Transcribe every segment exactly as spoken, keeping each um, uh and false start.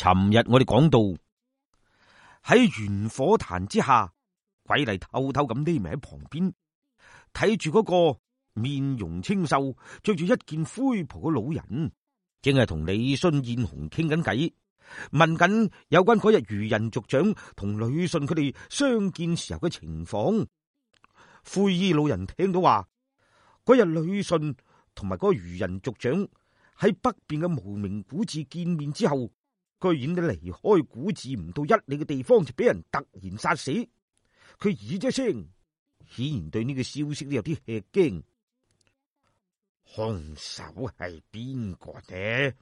尋日我哋講到喺玄火壇之下，鬼麗偷偷咁匿埋喺旁邊睇住嗰個面容清秀、着住一件灰袍嘅老人，正係同李信燕紅傾緊偈，問緊有關嗰日漁人族長同呂信佢哋相見時候嘅情況。灰衣老人聽到話，嗰日呂信同埋嗰個漁人族長喺北邊嘅無名古寺見面之後，居然都離開古寺唔到一里嘅地方就俾人突然殺死。佢咦咗聲，顯然對呢個消息都有啲吃驚。兇手係邊個呢？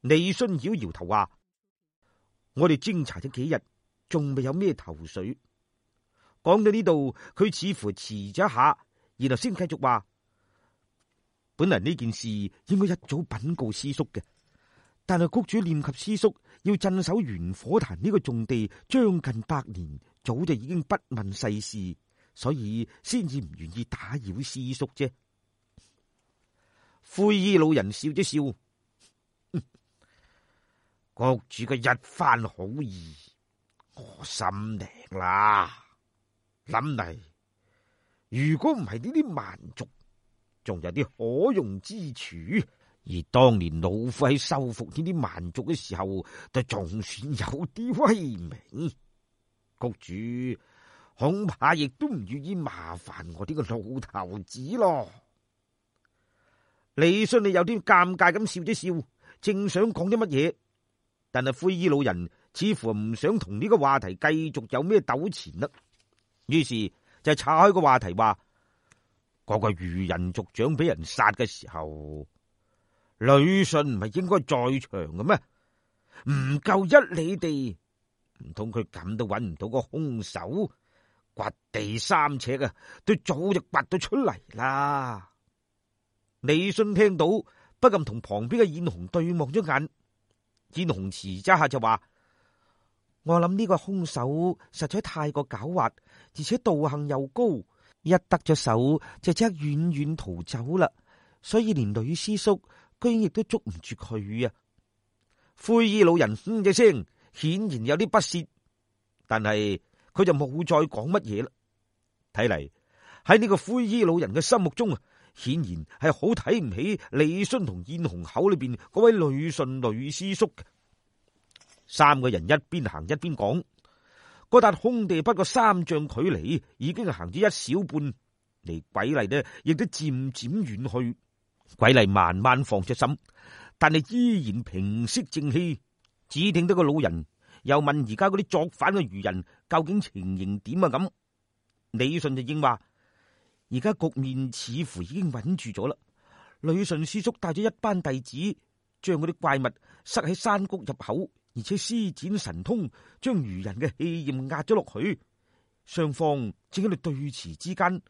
李信搖搖頭話：我哋偵查咗幾日，仲未有咩頭緒。講到呢度，佢似乎遲咗一下，然後先繼續話：本來呢件事應該一早稟告師叔嘅，但係谷主念及師叔要鎮守玄火壇呢個重地將近百年，早就已經不問世事，所以先至唔願意打擾師叔啫。灰衣老人笑咗笑，谷主嘅一番好意，我心領啦。諗嚟，如果唔係呢啲蠻族，仲有啲可用之處。而當年老夫喺收復呢啲蠻族嘅時候，就仲算有啲威名。谷主恐怕亦都唔願意麻煩我呢個老頭子咯。李信你有啲尷尬咁笑咗笑，正想講啲乜嘢，但係灰衣老人似乎唔想同呢個話題繼續有咩糾纏啦。於是就岔開個話題話，嗰個漁人族長俾人殺嘅時候，呂信唔係應該在場嘅咩？唔夠一里地，唔通佢咁都揾唔到個兇手？掘地三尺啊，都早就掘到出嚟啦。李信聽到，不禁同旁邊嘅燕紅對望咗眼。燕紅遲咗下就話：我諗呢個兇手實在太過狡猾，而且道行又高，一得咗手就即刻遠遠逃走啦。所以連呂師叔居然亦都捉唔住佢啊！灰衣老人哼一聲，顯然有啲不屑，但係佢就冇再講乜嘢啦。睇嚟喺呢個灰衣老人嘅心目中啊，顯然係好睇唔起李信同燕紅口裏邊嗰位呂信呂師叔嘅。三個人一邊行一邊講，嗰笪空地不過三丈距離，已經行咗一小半，離鬼麗呢亦都漸漸遠去。鬼麗慢慢放咗心，但係依然平息靜氣。只聽到個老人又問而家嗰啲作反嘅漁人究竟情形點啊？咁李信就應話：而家局面似乎已經穩住咗啦。呂信師叔帶咗一班弟子，將嗰啲怪物塞喺山谷入口，而且施展神通，將漁人嘅氣焰壓咗落去。雙方正喺度對峙之間，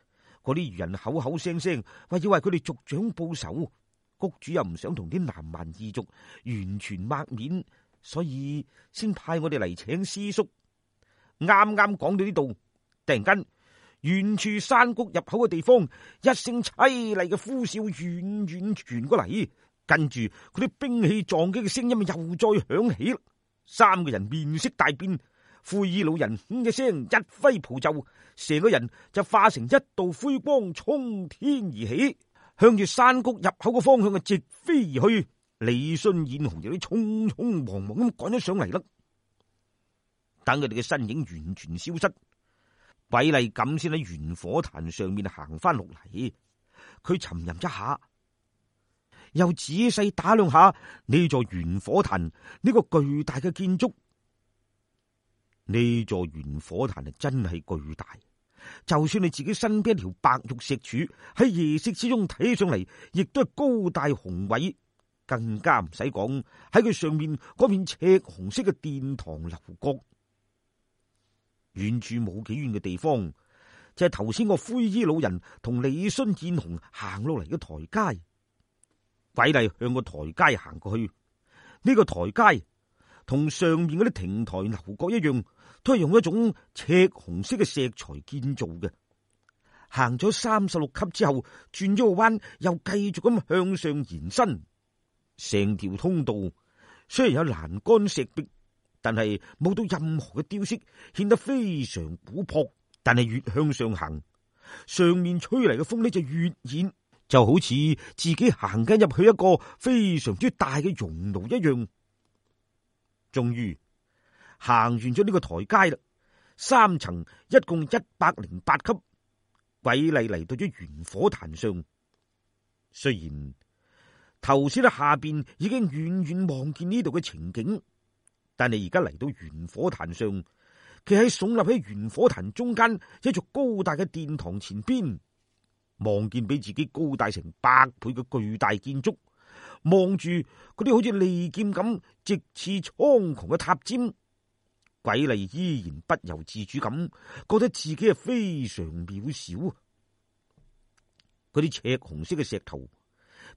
嗰啲漁人口口聲聲話要為佢哋族長報仇。谷主又唔想同啲南蠻異族完全抹面，所以先派我哋嚟請師叔。啱啱講到呢度，突然間遠處山谷入口嘅地方，一聲淒厲嘅呼嘯遠遠傳過嚟，跟住佢啲兵器撞擊嘅聲音又再響起。三個人面色大變，灰衣老人哼一聲，一揮袍袖，成個人就化成一道灰光衝天而起，向住山谷入口嘅方向啊直飛而去。李信燕紅有啲匆匆忙忙咁趕咗上嚟啦。等佢哋嘅身影完全消失，鬼麗咁先喺玄火壇上面行翻落嚟。佢沉吟一下，又仔細打量下呢座玄火壇呢個巨大嘅建築。呢座玄火壇係真係巨大，就算你自己身邊一條白玉石柱喺夜色之中睇上嚟，亦都係高大雄偉。更加唔使講喺佢上面嗰片赤紅色嘅殿堂樓閣。遠處冇幾遠嘅地方，就係頭先個灰衣老人同李信燕紅行落嚟嘅台階。鬼麗向個台階行過去，呢、這個台階同上面嗰啲亭台樓閣一樣，都係用一種赤紅色嘅石材建造嘅。行咗三十六級之後，轉咗個彎，又繼續咁向上延伸。成條通道雖然有欄杆石壁，但係冇到任何嘅雕飾，顯得非常古樸。但係越向上行，上面吹嚟嘅風呢就越熱，就好似自己行緊入去一個非常之大嘅熔爐一樣。終於行完咗呢個台階啦，三層一共一百零八級，鬼麗嚟到咗懸火壇上。雖然頭先喺下邊已經遠遠望見呢度嘅情景，但係而家嚟到懸火壇上，企喺聳立喺懸火壇中間一座高大嘅殿堂前邊，望見比自己高大成百倍嘅巨大建築，望住嗰啲好似利劍咁直刺蒼穹嘅塔尖，鬼麗依然不由自主咁覺得自己係非常渺小。嗰啲赤紅色嘅石頭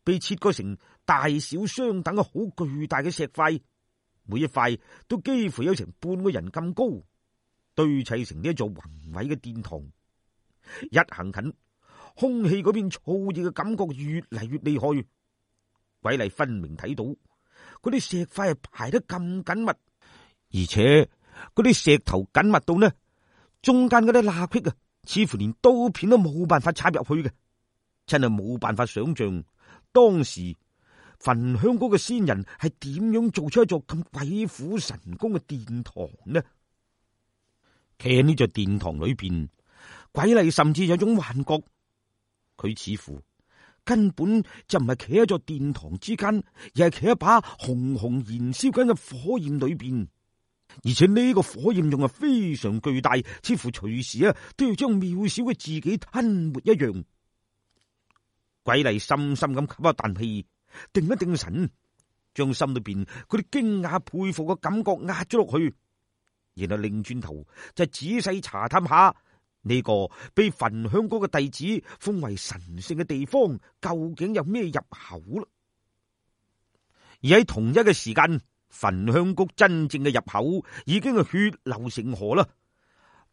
被切割成大小相等嘅好巨大嘅石塊，每一塊都幾乎有成半個人咁高，堆砌成呢一座宏偉嘅殿堂。一行近，空氣嗰邊燥熱嘅感覺越嚟越厲害。鬼麗分明睇到嗰啲石塊係排得咁緊密，而且嗰啲石頭緊密到呢，中間嗰啲罅隙啊，似乎連刀片都冇辦法插入去嘅。真係冇辦法想象當時焚香閣嘅仙人係點樣做出一座咁鬼斧神工嘅殿堂呢？企喺呢座殿堂裏邊，鬼麗甚至有種幻覺，佢似乎根本就唔係企喺座殿堂之間，而係企喺把紅紅燃燒緊嘅火焰裏邊，而且呢個火焰仲係非常巨大，似乎隨時啊都要將渺小嘅自己吞沒一樣。鬼麗深深咁吸一啖氣，定一定神，將心裏邊嗰啲驚訝佩服嘅感覺壓咗落去，然後擰轉頭就仔細查探下呢個被焚香閣嘅弟子封為神聖嘅地方究竟有咩入口啦。而喺同一嘅時間，焚香閣真正嘅入口已經係血流成河啦，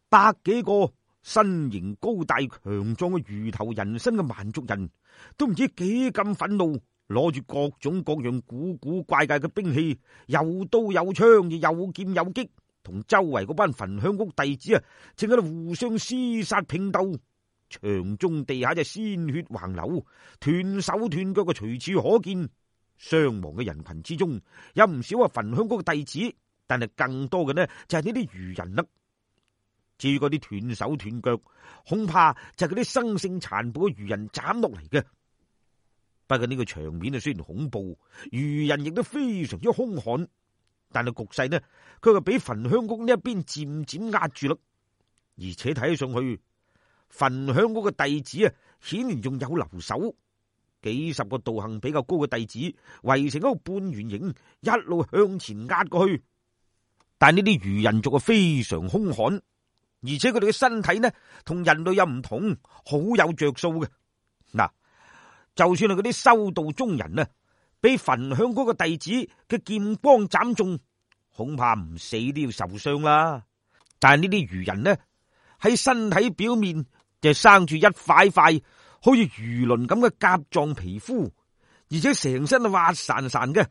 百幾個身形高大強壯嘅魚頭人身嘅蠻族人，都唔知幾咁憤怒，攞住各種各樣古古怪怪嘅兵器，有刀有槍，有劍有戟，同周圍嗰班焚香閣弟子啊，正喺度互相廝殺拼鬥，場中地下就鮮血橫流，斷手斷腳嘅隨處可見。傷亡嘅人群之中，有唔少係焚香閣嘅弟子，但係更多嘅呢就係呢啲魚人啦。至於嗰啲斷手斷腳，恐怕就係嗰啲生性殘暴嘅魚人斬落嚟嘅。不過呢個場面啊，雖然恐怖，魚人亦都非常之兇悍，但係局勢呢，佢就俾焚香閣呢一邊漸漸壓住啦。而且睇上去，焚香閣嘅弟子啊，顯然仲有留守，幾十個道行比較高嘅弟子圍成一個半圓形，一路向前壓過去。但呢啲魚人族啊，非常兇悍。而且佢哋嘅身體呢，同人類又唔同，好有着數嘅。嗱，就算係嗰啲修道中人啊，俾焚香閣嘅弟子嘅劍光斬中，恐怕唔死都要受傷啦。但係呢啲魚人呢，喺身體表面就生住一塊塊好似魚鱗咁嘅甲狀皮膚，而且成身係滑潺潺嘅。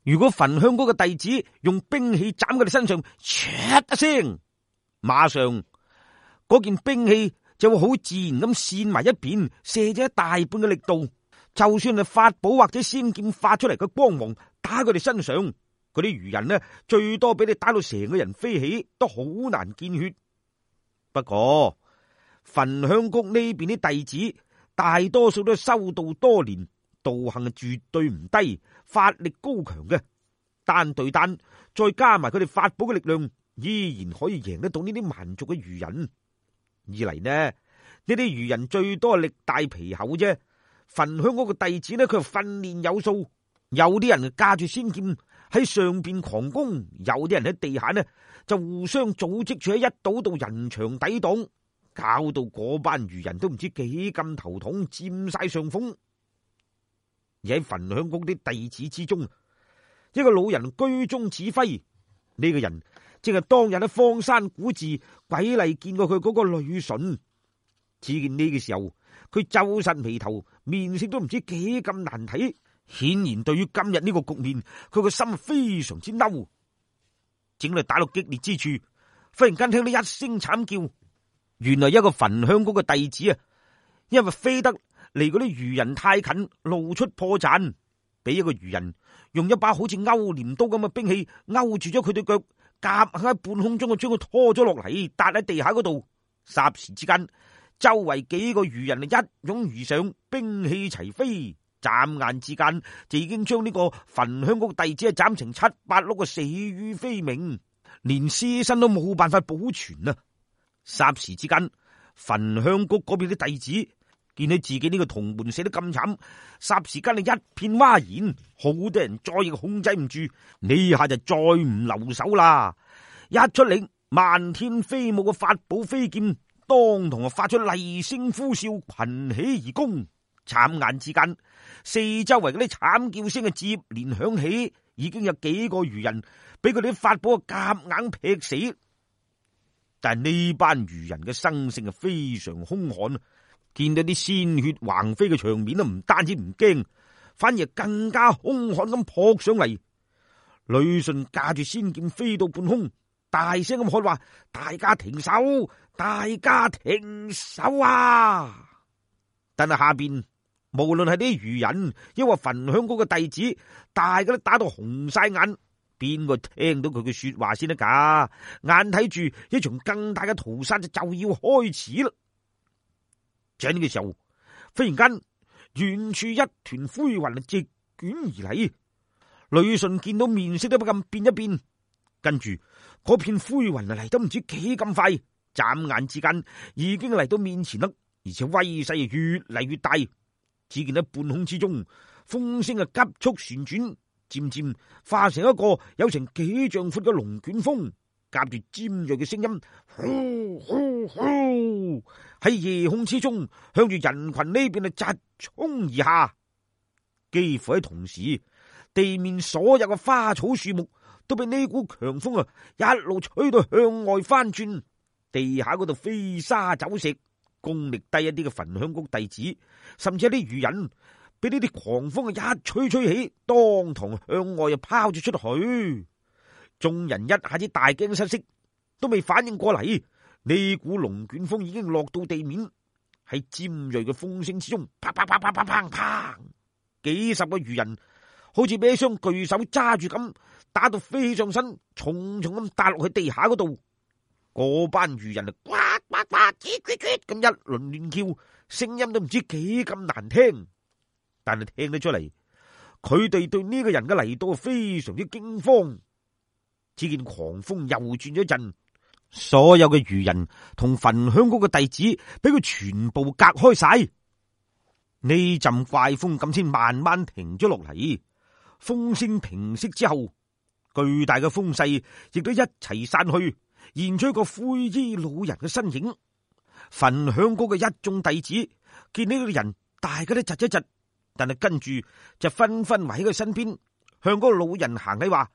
如果焚香閣嘅弟子用兵器斬佢哋身上，唰一聲，馬上嗰件兵器就會好自然咁扇埋一邊，射咗一大半嘅力度。就算係法寶或者仙劍發出嚟嘅光芒打佢哋身上，嗰啲魚人呢，最多俾你打到成個人飛起，都好難見血。不過焚香閣呢邊啲弟子大多數都修道多年，道行係絕對唔低，法力高強嘅，單對單再加埋佢哋法寶嘅力量，依然可以贏得到呢啲蠻族嘅魚人。二嚟呢，呢啲魚人最多係力大皮厚啫。焚香閣嘅弟子呢，佢訓練有素，有啲人駕住仙劍喺上邊狂攻，有啲人喺地下呢就互相組織住喺一堵堵人牆抵擋，搞到嗰班魚人都唔知幾咁頭痛，佔晒上風。而喺焚香閣啲弟子之中，一個老人居中指揮，呢、這個人正係當日喺荒山古寺鬼麗見過佢嗰個女筍。只見呢個時候，佢皺實眉頭，面色都唔知幾咁難睇，顯然對於今日呢個局面，佢個心非常之嬲。正嚟打到激烈之處，忽然間聽到一聲慘叫，原來一個焚香谷嘅弟子啊，因為飛得離嗰啲魚人太近，露出破綻，俾一個魚人用一把好似勾鐮刀咁嘅兵器勾住咗佢對腳，夾硬喺半空中就將佢拖咗落嚟，笪喺地下嗰度。霎時之間，周圍幾個魚人啊一擁而上，兵器齊飛，眨眼之間就已經將呢個焚香谷弟子啊斬成七八碌嘅死於非命，連屍身都冇辦法保存啊！霎時之間，焚香谷嗰邊啲弟子見到自己呢個同門死得咁慘，霎時間啊一片嘩然，好多人再亦控制唔住，呢下就再唔留手啦！一出令，漫天飛舞嘅法寶飛劍當堂啊發出厲聲呼嘯，群起而攻。眨眼之間，四周圍嗰啲慘叫聲啊接連響起，已經有幾個魚人俾佢哋啲法寶夾硬劈死。但係呢班魚人嘅生性啊非常兇悍，見到啲鮮血橫飛嘅場面啊，唔單止唔驚，反而更加兇悍咁撲上嚟。呂信駕住仙劍飛到半空，大聲咁喊話：大家停手！大家停手啊！但係下邊無論係啲魚人，抑或焚香谷嘅弟子，大家都打到紅晒眼，邊個聽到佢嘅說話先得噶？眼睇住一場更大嘅屠殺就就要開始啦！就喺呢個時候，忽然間遠處一團灰雲啊直捲而嚟，呂信見到面色都不禁變一變，跟住嗰片灰雲啊嚟得唔知幾咁快，眨眼之間已經嚟到面前啦，而且威勢越嚟越大。只見喺半空之中，風聲啊急速旋轉，漸漸化成一個有成幾丈闊嘅龍捲風，夾住尖銳嘅聲音，呼呼呼喺夜空之中向住人群呢邊啊疾衝而下。幾乎喺同時，地面所有嘅花草樹木都被呢股強風啊一路吹到向外翻轉，地下嗰度飛沙走石。功力低一啲嘅焚香谷弟子，甚至一啲魚人，俾呢啲狂風啊一吹吹起，當堂向外又拋咗出去。眾人一下子大驚失色，都未反應過嚟，呢股龍捲風已經落到地面，喺尖銳嘅風聲之中，啪啪啪啪啪啪啪，幾十個魚人好似俾一雙巨手揸住咁，打到飛上身，重重咁打落去地下嗰度。嗰班魚人啊，呱呱呱，嘰嘰嘰咁一輪亂叫，聲音都唔知幾咁難聽，但係聽得出嚟，佢哋對呢個人嘅嚟到非常之驚慌。只見狂風又轉咗一陣，所有嘅魚人同焚香谷嘅弟子俾佢全部隔開晒。呢陣怪風咁先慢慢停咗落嚟，風聲平息之後，巨大嘅風勢亦都一齊散去，現出一個灰衣老人嘅身影。焚香谷嘅一眾弟子見呢個人，大家都窒一窒，但係跟住就紛紛圍喺佢身邊，向嗰個老人行禮話：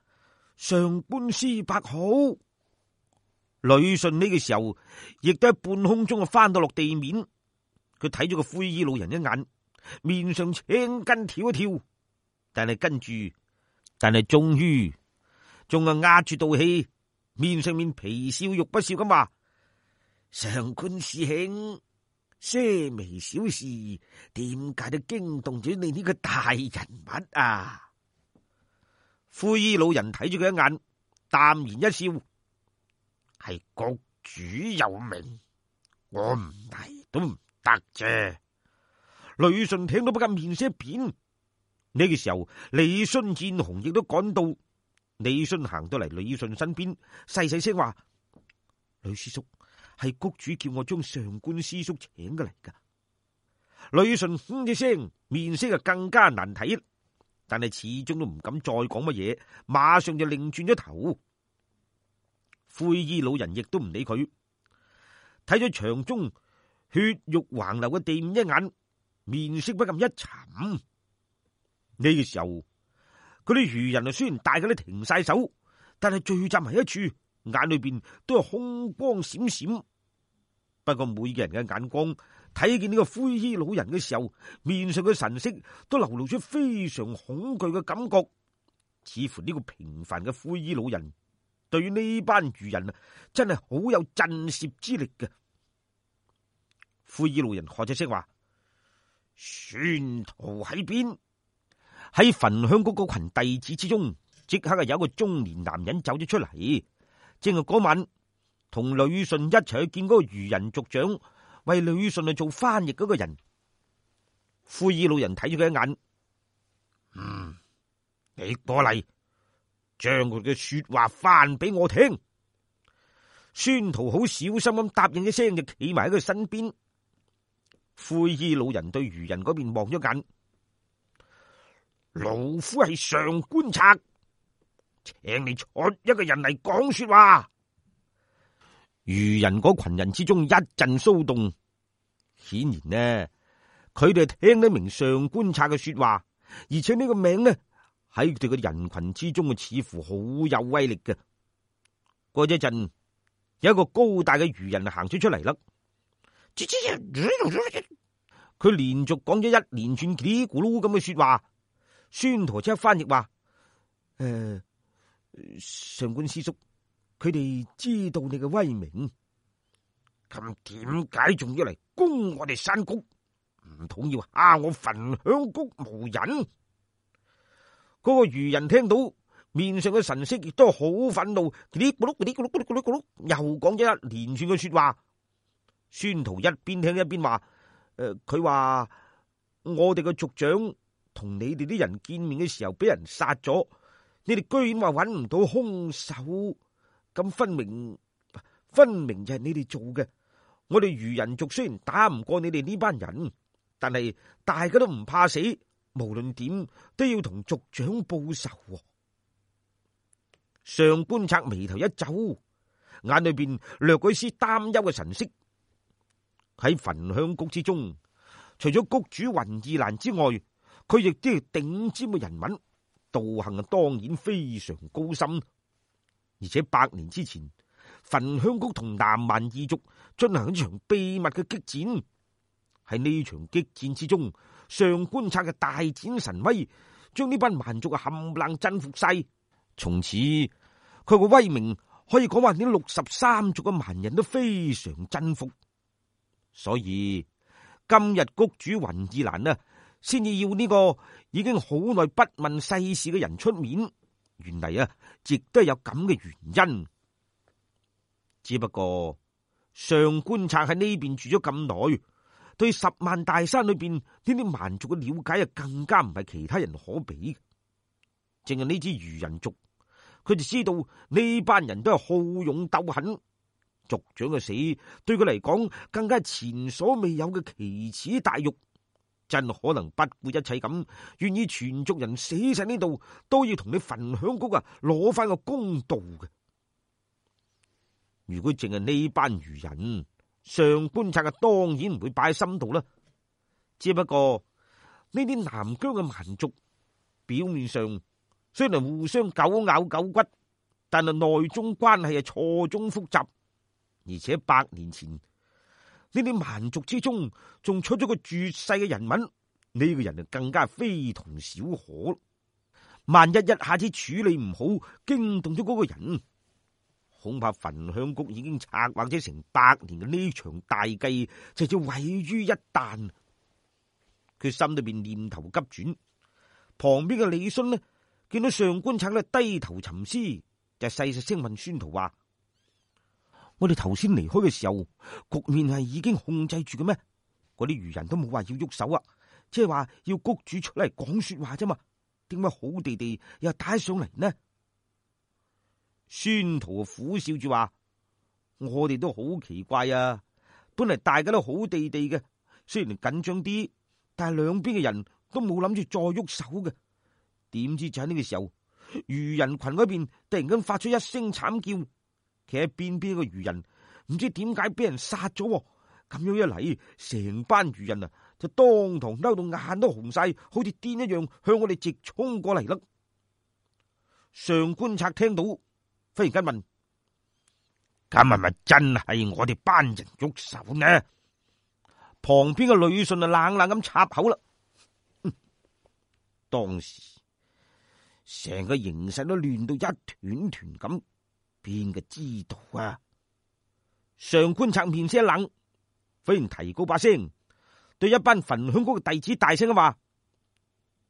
上官師伯好。呂信呢個時候亦都喺半空中啊翻到落地面，佢睇咗個灰衣老人一眼，面上青筋跳一跳，但係跟住，但係終於仲係壓住道氣，面上面皮笑肉不笑咁話：上官師兄，些微小事，點解都驚動咗你呢個大人物啊？灰衣老人睇住佢一眼，淡然一笑：係局主有命，我唔嚟都唔得啫。呂信聽到不禁面色一變。呢、這個時候，李信見紅亦都趕到。李信行到嚟呂信身邊，細細聲話：呂師叔，係谷主叫我將上官師叔請過嚟噶。呂信哼一聲，面色啊更加難睇，但係始終都唔敢再講乜嘢，馬上就擰轉咗頭。灰衣老人亦都唔理佢，睇咗場中血肉橫流嘅地面一眼，面色不禁一沉。呢、這個時候，嗰啲魚人啊，雖然大家都停晒手，但係聚集埋一處，眼裏邊都係凶光閃閃。不過每個人嘅眼光睇見呢個灰衣老人嘅時候，面上嘅神色都流露出非常恐懼嘅感覺，似乎呢個平凡嘅灰衣老人對於呢班漁人啊，真係好有震懾之力嘅。灰衣老人喝咗聲話：孫徒喺邊？喺焚香谷嗰群弟子之中，即刻係有一個中年男人走咗出嚟，正係嗰晚同呂順一齊去見嗰個漁人族長，為呂順去做翻譯嗰個人。灰衣老人睇咗佢一眼，嗯，你過嚟，將佢嘅說話翻俾我聽。孫徒好小心咁答應一聲，就企埋喺佢身邊。灰衣老人對漁人嗰邊望咗眼，老夫係上官賊，請你出一個人嚟講說話。漁人嗰群人之中一陣騷動，顯然呢，佢哋聽得明上官賊嘅說話，而且呢個名呢喺佢哋嘅人群之中嘅似乎好有威力嘅。過咗一陣，有一個高大嘅漁人行咗出嚟啦。佢連續講咗一連串嘰哩咕嚕咁嘅說話。孫陀即刻翻譯話：誒、呃，上官師叔，佢哋知道你嘅威名，咁點解仲要嚟攻我哋山谷？唔通要蝦我焚香谷無人？嗰、那個漁人聽到，面上嘅神色亦都好憤怒，嘰哩咕嚕嘰哩咕嚕嘰哩咕嚕咕嚕，又講咗一連串嘅說話。孫徒一邊聽一邊話：誒、呃，佢話我哋嘅族長同你哋啲人見面嘅時候俾人殺咗，你哋居然話揾唔到兇手，咁分明分明就係你哋做嘅。我哋漁人族雖然打唔過你哋呢班人，但係大家都唔怕死，無論點都要同族長報仇。上官賊眉頭一皺，眼裏邊掠過一絲擔憂嘅神色。喺焚香谷之中，除咗谷主雲二蘭之外，佢亦都係頂尖嘅人物，道行啊當然非常高深。而且百年之前，焚香谷同南蠻異族進行一場秘密嘅激戰。喺呢場激戰之中，上官賊嘅大展神威，將呢班蠻族嘅冚唪唥征服晒。從此佢個威名可以講話，呢六十三族嘅蠻人都非常征服。所以今日谷主雲二蘭啊，先至要呢個已經好耐不問世事嘅人出面。原嚟啊，亦都係有咁嘅原因。只不過上官賊喺呢邊住咗咁耐，對十萬大山裏邊呢啲蠻族嘅了解啊，更加唔係其他人可比。淨係呢支漁人族，佢就知道呢班人都係好勇鬥狠。族長嘅死對佢嚟講，更加係前所未有嘅奇恥大辱，真可能不顧一切咁，願意全族人死晒呢度，都要同你焚香谷啊攞翻個公道嘅。如果淨係呢班漁人，上官賊啊當然唔會擺喺心度啦。只不過呢啲南疆嘅蠻族，表面上雖然互相狗咬狗骨，但係內中關係係錯綜複雜。而且百年前呢啲蠻族之中，仲出咗個絕世嘅人物，呢、這個人就更加非同小可。萬一一下子處理唔好，驚動咗嗰個人，恐怕焚香谷已經策劃咗成百年嘅呢場大計就要毀於一旦。佢心裏邊念頭急轉，旁邊嘅李信呢，見到上官賊呢低頭沉思，就細細聲問孫徒話：我哋頭先離開嘅時候，局面係已經控制住嘅咩？嗰啲漁人都冇話要喐手啊，即係話要谷主出嚟講說話啫嘛。點解好地地又打上嚟呢？孫徒苦笑住話：我哋都好奇怪啊！本嚟大家都好地地嘅，雖然緊張啲，但係兩邊嘅人都冇諗住再喐手嘅。點知就喺呢個時候，漁人群嗰邊突然間發出一聲慘叫。企喺邊邊個漁人唔知點解俾人殺咗，咁樣一嚟，成班漁人啊就當堂嬲到眼都紅晒，好似癲一樣向我哋直衝過嚟啦。上官賊聽到，忽然間問：咁係咪真係我哋班人喐手呢？旁邊嘅呂順啊冷冷咁插口啦。當時成個形勢都亂到一團團咁，邊個知道啊？上官策面色一冷，忽然提高把聲，對一班焚香谷嘅弟子大聲咁話：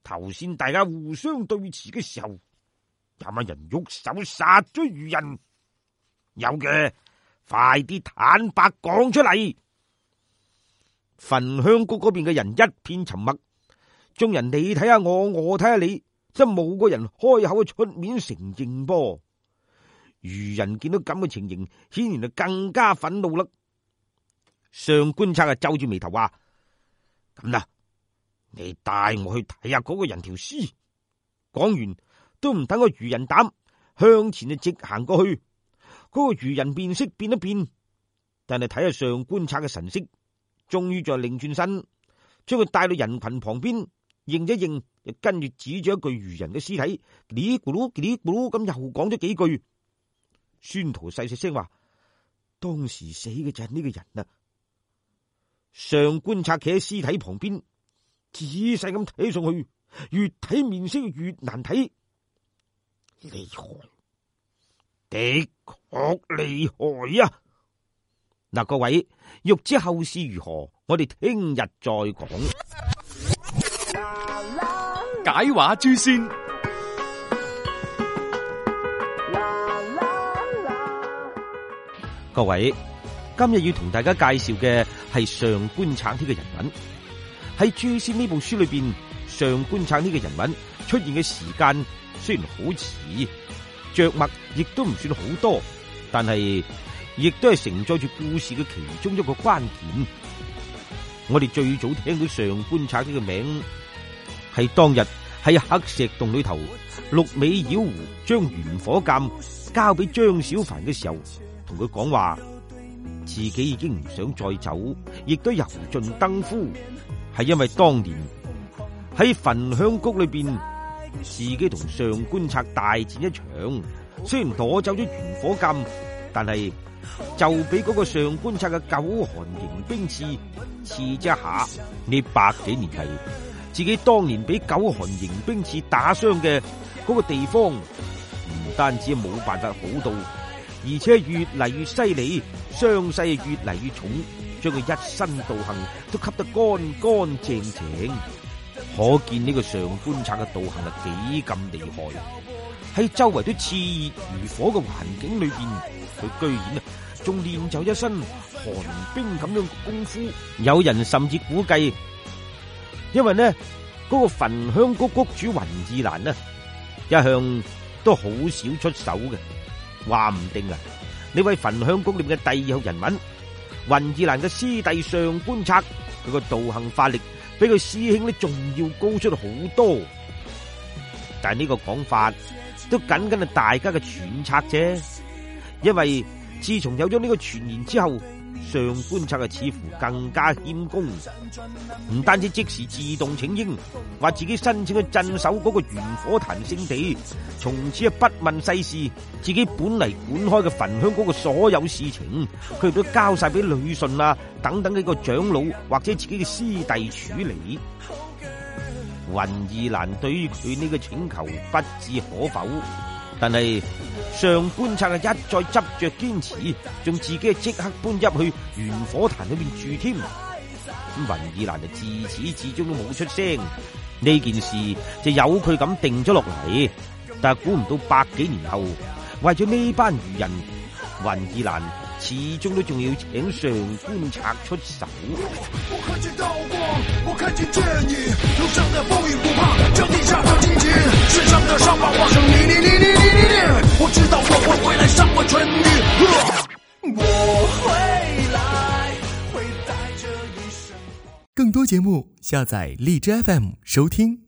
頭先大家互相對峙嘅時候，有冇人喐手殺咗愚人？有嘅，快啲坦白講出嚟！焚香谷嗰邊嘅人一片沉默，眾人你睇下我，我睇下你，真冇個人開口出面承認噃。愚人見到咁嘅情形，顯然就更加憤怒啦。上官策啊，皺住眉頭話：咁啦，你帶我去睇下嗰個人條屍。講完都唔等個愚人膽，向前就直行過去。嗰、那個愚人面色變一變，但係睇下上官策嘅神色，終於再擰轉身，將佢帶到人群旁邊，認一認，又跟住指住一具愚人嘅屍體，嘰咕嚕嘰咕嚕咁又講咗幾句。孫屠細細聲話：當時死嘅就係呢個人啊！上官策企喺屍體旁邊，仔細咁睇上去，越睇面色越難睇。厲害，的確厲害啊！嗱，各位欲知後事如何，我哋聽日再講。解話諸仙。各位，今日要同大家介紹嘅係上官策呢個人物。喺《諸仙》呢部書裏邊，上官策呢個人物出現嘅時間雖然好遲，着墨亦都唔算好多，但係亦都係承載住故事嘅其中一個關鍵。我哋最早聽到上官策呢個名，係當日喺黑石洞裏頭，六尾妖狐將玄火劍交俾張小凡嘅時候，同佢講話自己已經唔想再走，亦都油盡燈枯，係因為當年喺焚香谷裏邊，自己同上官策大戰一場，雖然攞走咗玄火劍，但係就俾嗰個上官策嘅九寒迎冰刺刺咗一下。呢百幾年嚟，自己當年俾九寒迎冰刺打傷嘅嗰個地方，唔單止冇辦法好到，而且越嚟越犀利，傷勢越嚟越重，將佢一身道行都吸得乾乾淨淨。可見呢個上官策嘅道行係幾咁厲害。喺周圍都熾熱如火嘅環境裏邊，佢居然啊仲練就一身寒冰咁樣功夫。有人甚至估計，因為呢嗰、那個焚香谷谷主雲二蘭呢，一向都好少出手嘅。話唔定啊，呢位焚香谷裏面嘅第二號人物雲二蘭嘅師弟上官策，佢個道行法力比佢師兄呢仲要高出好多。但係呢個講法都僅僅係大家嘅揣測啫，因為自從有咗呢個傳言之後，上官策啊似乎更加謙恭，唔單止即時自動請纓，話自己申請去鎮守嗰個玄火壇聖地，從此啊不問世事，自己本嚟管開嘅焚香嗰個所有事情，佢都交晒俾呂順啊等等幾個長老或者自己嘅師弟處理。雲二蘭對於佢呢個請求不置可否，但係上官策啊一再執着堅持，仲自己即刻搬入去玄火壇裏面住添。咁雲二蘭就自始至終都冇出聲，呢件事就由佢咁定咗落嚟。但係估唔到百幾年後，為咗呢班愚人，雲二蘭始終都仲要請上官策出手。我看見道光，我看見正義，路上的風雨不怕，將地下放金錢，身上的傷疤化成泥泥泥泥泥泥。我知道我會回來上過春雨，我回來會帶着一生。更多節目下載荔枝 F M 收聽。